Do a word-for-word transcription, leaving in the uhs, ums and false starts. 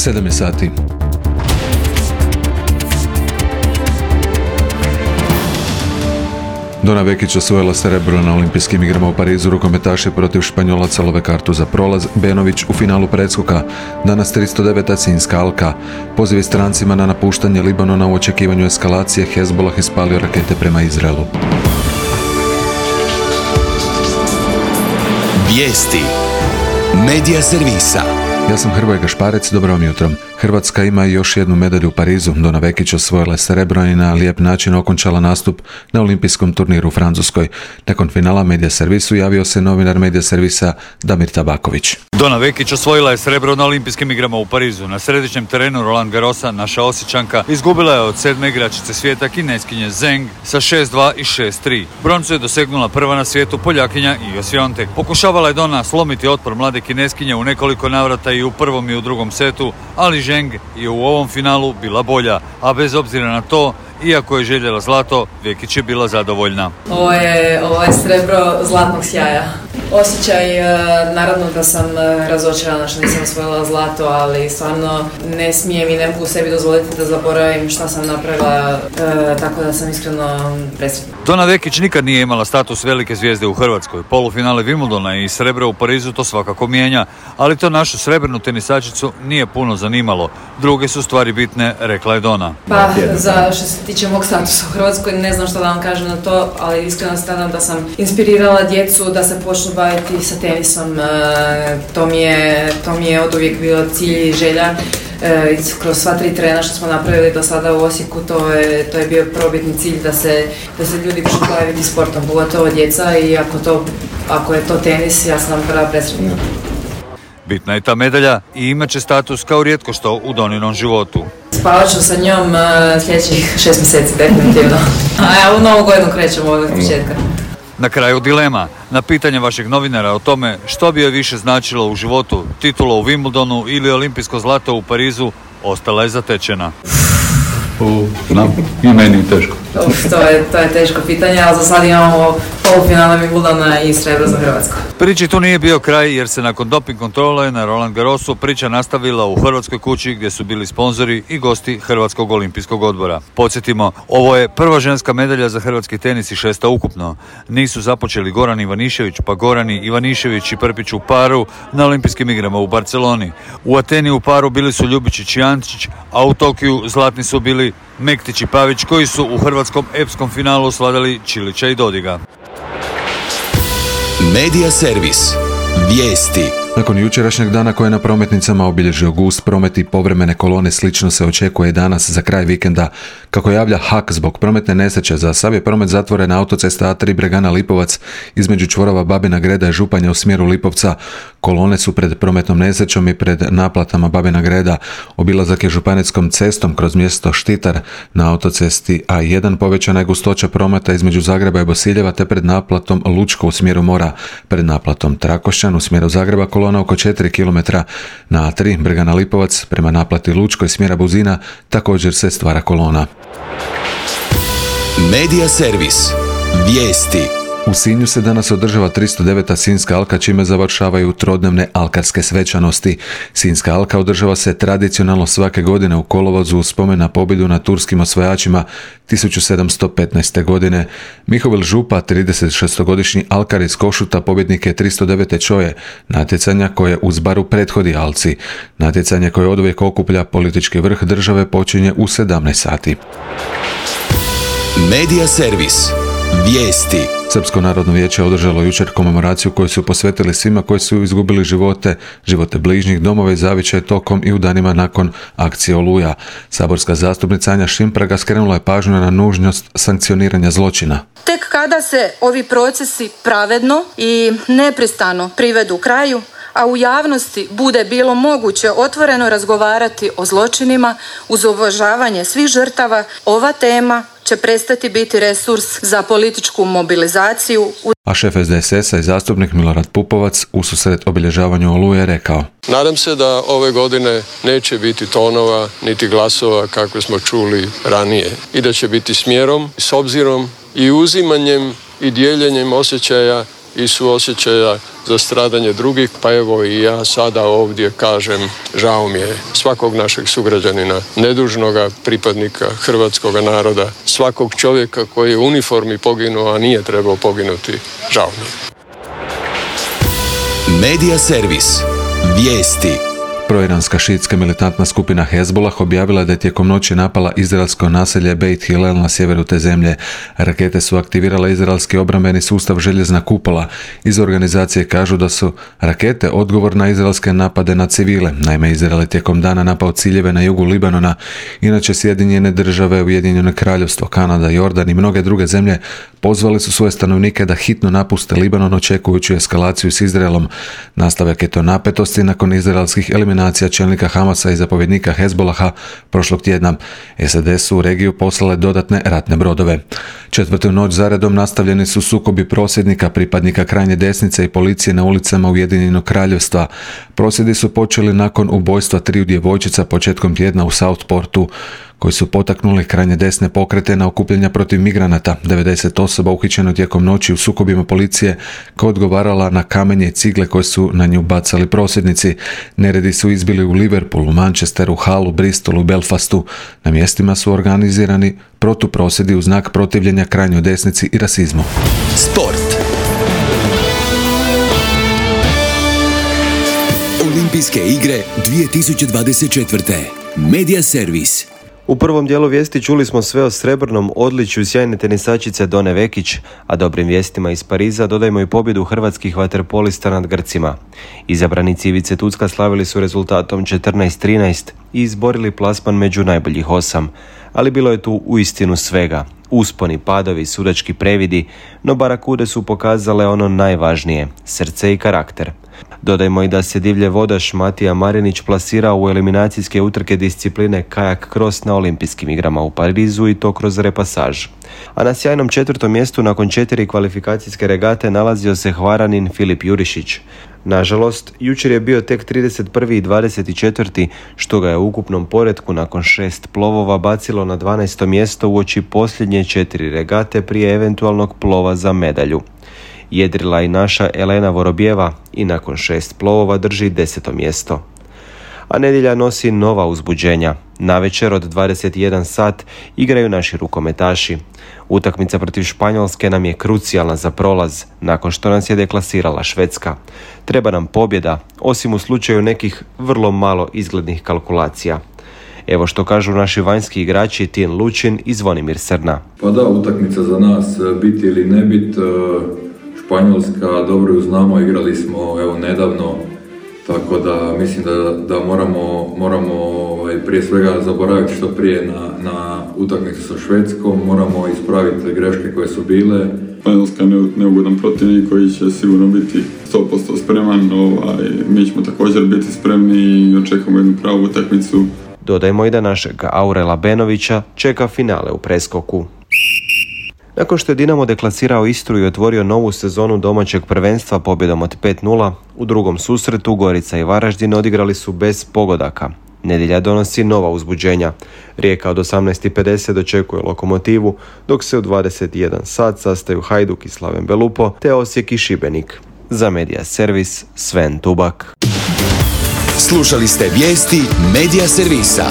sedam je sati. Dona Vekić osvojila srebro na olimpijskim igrama u Parizu. Rukometaši protiv Španjolaca love kartu za prolaz. Benović u finalu preskoka. Danas tristo deveta Sinjska alka. Pozivi strancima na napuštanje Libanona u očekivanju eskalacije. Hezbollah ispalio rakete prema Izraelu. Vijesti Medija servisa. Ja sam Hrvoje Gašparec, dobro vam jutro. Hrvatska ima još jednu medalju u Parizu. Dona Vekić osvojila je srebro i na lijep način okončala nastup na olimpijskom turniru u Francuskoj. Nakon finala Medija servisu javio se novinar Medija servisa Damir Tabaković. Dona Vekić osvojila je srebro na olimpijskim igrama u Parizu. Na središnjem terenu Roland Garrosa naša Osječanka izgubila je od sedme igračice svijeta Kineskinje Zheng sa šest dva i šest tri. Broncu je dosegnula prva na svijetu Poljakinja Iga Swiatek. Pokušavala je Dona slomiti otpor mlade Kineskinje u nekoliko navrata i u prvom i u drugom setu, ali Zheng je u ovom finalu bila bolja, a bez obzira na to, iako je željela zlato, Vekić je bila zadovoljna. Ovo je, ovo je srebro zlatnog sjaja. Osjećaj, naravno da sam razočarana što nisam osvojila zlato, ali stvarno ne smijem i ne mogu sebi dozvoliti da zaboravim šta sam napravila, tako da sam iskreno presretna. Dona Vekić nikad nije imala status velike zvijezde u Hrvatskoj. Polufinale Wimbledona i srebro u Parizu to svakako mijenja, ali to našu srebrnu tenisačicu nije puno zanimalo. Druge su stvari bitne, rekla je Dona. Pa, za što se tiče mog statusa u Hrvatskoj, ne znam što da vam kažem na to, ali iskreno se nadam da sam inspirirala djecu da se počnu baviti sa tenisom. E, to mi je, to mi je oduvijek bio cilj i želja. E, kroz sva tri trena što smo napravili do sada u Osijeku, to je, to je bio probitni cilj da se, da se ljudi počnu baviti sportom, pogotovo djeca, i ako, to, ako je to tenis, ja sam prva presretna. Bitna je ta medalja i imat će status kao rijetko što u Doninom životu. Spavat ću sa njom uh, sljedećih šest mjeseci, definitivno. A ja u novu godinu krećemo od početka. Na kraju dilema. Na pitanje vašeg novinara o tome što bi joj više značilo u životu, titula u Wimbledonu ili olimpijsko zlato u Parizu, ostala je zatečena. U, znam, i meni je teško. Uf, to je, to je teško pitanje, ali za sad imamo polufinale Wimbledona i srebro za Hrvatsku. Priči tu nije bio kraj, jer se nakon doping kontrole na Roland Garrosu priča nastavila u Hrvatskoj kući gdje su bili sponzori i gosti Hrvatskog olimpijskog odbora. Podsjetimo, ovo je prva ženska medalja za hrvatski tenis i šesta ukupno. Nisu započeli Goran Ivanišević, pa Gorani Ivanišević i Prpić u paru na olimpijskim igrama u Barceloni. U Ateni u paru bili su Ljubičić i Jančić, a u Tokiju zlatni su bili Mektić i Pavić, koji su u hrvatskom epskom finalu svladali Čilića i Dodiga. Medija servis. Vijesti. Nakon jučerašnjeg dana koje je na prometnicama obilježio gust promet i povremene kolone, slično se očekuje danas za kraj vikenda. Kako javlja H A K, zbog prometne nesreće za sav je promet zatvoren na autocesta A tri Bregana Lipovac između čvorova Babina Greda i Županja u smjeru Lipovca. Kolone su pred prometnom nesrećom i pred naplatama Babina Greda. Obilazak je županijskom cestom kroz mjesto Štitar. Na autocesti A jedan povećana je gustoća prometa između Zagreba i Bosiljeva, te pred naplatom Lučko u smjeru Mora. Pred naplatom Trakošćan u smjeru Zagreba kolona oko četiri kilometra. Na A tri Bregana Lipovac prema naplati Lučko i smjera Buzina također se stvara kolona. Medija servis. Vijesti. U Sinju se danas održava tristo deveta Sinjska alka, čime završavaju trodnevne alkarske svečanosti. Sinjska alka održava se tradicionalno svake godine u kolovozu u spomen na pobjedu nad turskim osvajačima tisuću sedamsto petnaeste. godine. Mihovil Župa, tridesetšestogodišnji alkar iz Košuta, pobjednik je tristo devete čoje, natjecanja koje uz baru prethodi alci. Natjecanje koje oduvijek okuplja politički vrh države počinje u sedamnaest sati. Medija servis. Vijesti. Srpsko narodno vijeće održalo jučer komemoraciju koju su posvetili svima koji su izgubili živote, živote bližnjih, domove i zavičaje tokom i u danima nakon akcije Oluja. Saborska zastupnica Anja Šimpraga skrenula je pažnju na nužnost sankcioniranja zločina. Tek kada se ovi procesi pravedno i nepristrano privedu kraju, a u javnosti bude bilo moguće otvoreno razgovarati o zločinima uz uvažavanje svih žrtava, ova tema će prestati biti resurs za političku mobilizaciju. A šef S D S S-a i zastupnik Milorad Pupovac u susret obilježavanju Oluje rekao: Nadam se da ove godine neće biti tonova niti glasova kakve smo čuli ranije i da će biti smjerom, s obzirom i uzimanjem i dijeljenjem osjećaja i suosjećaja za stradanje drugih, pa evo i ja sada ovdje kažem, žao mi je svakog našeg sugrađanina, nedužnoga pripadnika hrvatskog naroda, svakog čovjeka koji je u uniformi poginuo, a nije trebao poginuti, žao mi je. Medija servis. Vijesti. Proiranska šiitska militantna skupina Hezbollah objavila da je tijekom noći napala izraelsko naselje Beit Hillel na sjeveru te zemlje. Rakete su aktivirale izraelski obrambeni sustav Željezna kupola. Iz organizacije kažu da su rakete odgovor na izraelske napade na civile. Naime, Izrael je tijekom dana napao ciljeve na jugu Libanona. Inače, Sjedinjene države, Ujedinjeno kraljevstvo, Kanada, Jordan i mnoge druge zemlje pozvali su svoje stanovnike da hitno napuste Libanon očekujući eskalaciju s Izraelom. Nastavak je to napetosti nakon izraelskih eliminacija čelnika Hamasa i zapovjednika Hezbolaha prošlog tjedna. S A D su u regiju poslale dodatne ratne brodove. Četvrtu noć zaredom nastavljeni su sukobi prosvjednika, pripadnika krajnje desnice i policije na ulicama Ujedinjenog kraljevstva. Prosvjedi su počeli nakon ubojstva triju djevojčica početkom tjedna u Southportu, koji su potaknuli krajnje desne pokrete na okupljanja protiv migranata. devedeset osoba uhićeno tijekom noći u sukobima policije koja odgovarala na kamenje i cigle koje su na nju bacali prosvjednici. Neredi su izbili u Liverpoolu, Manchesteru, Hallu, Bristolu, Belfastu. Na mjestima su organizirani protuprosvjedi u znak protivljenja krajnjoj desnici i rasizmu. Sport. Olimpijske igre dvije tisuće dvadeset četvrte. Medija servis. U prvom dijelu vijesti čuli smo sve o srebrnom odličju sjajne tenisačice Done Vekić, a dobrim vijestima iz Pariza dodajmo i pobjedu hrvatskih vaterpolista nad Grcima. Izabranici Ivice Tucka slavili su rezultatom četrnaest trinaest i izborili plasman među najboljih osam, ali bilo je tu uistinu svega. Usponi, padovi, sudački previdi, no barakude su pokazale ono najvažnije, srce i karakter. Dodajmo i da se divlje vodaš Matija Marinić plasirao u eliminacijske utrke discipline kajak cross na olimpijskim igrama u Parizu i to kroz repasaž. A na sjajnom četvrtom mjestu nakon četiri kvalifikacijske regate nalazio se Hvaranin Filip Jurišić. Nažalost, jučer je bio tek trideset prvi i dvadeset četvrti, što ga je u ukupnom poretku nakon šest plovova bacilo na dvanaesto mjesto uoči posljednje četiri regate prije eventualnog plova za medalju. Jedrila i naša Elena Vorobjeva i nakon šest plovova drži deseto mjesto. A nedjelja nosi nova uzbuđenja. Navečer od dvadeset jedan sat igraju naši rukometaši. Utakmica protiv Španjolske nam je krucijalna za prolaz, nakon što nas je deklasirala Švedska. Treba nam pobjeda, osim u slučaju nekih vrlo malo izglednih kalkulacija. Evo što kažu naši vanjski igrači Tin Lučin i Zvonimir Srna. Pa da, utakmica za nas, biti ili ne bit. Španjolska, dobro ju znamo, igrali smo evo nedavno, tako da mislim da, da moramo, moramo ovaj, prije svega zaboraviti što prije na, na utakmicu sa Švedskom, moramo ispraviti greške koje su bile. Španjolska je neugodan protivnik koji će sigurno biti sto posto spreman, ovaj, mi ćemo također biti spremni i očekujemo jednu pravu utakmicu. Dodajmo i da našeg Aurela Benovića čeka finale u preskoku. Nakon što je Dinamo deklasirao Istru i otvorio novu sezonu domaćeg prvenstva pobjedom od pet nula, u drugom susretu Gorica i Varaždin odigrali su bez pogodaka. Nedjelja donosi nova uzbuđenja. Rijeka od osamnaest i pedeset dočekuje Lokomotivu, dok se u dvadeset jedan sat sastaju Hajduk i Slaven Belupo, te Osijek i Šibenik. Za Medija servis Sven Tubak. Slušali ste vijesti Medija servisa.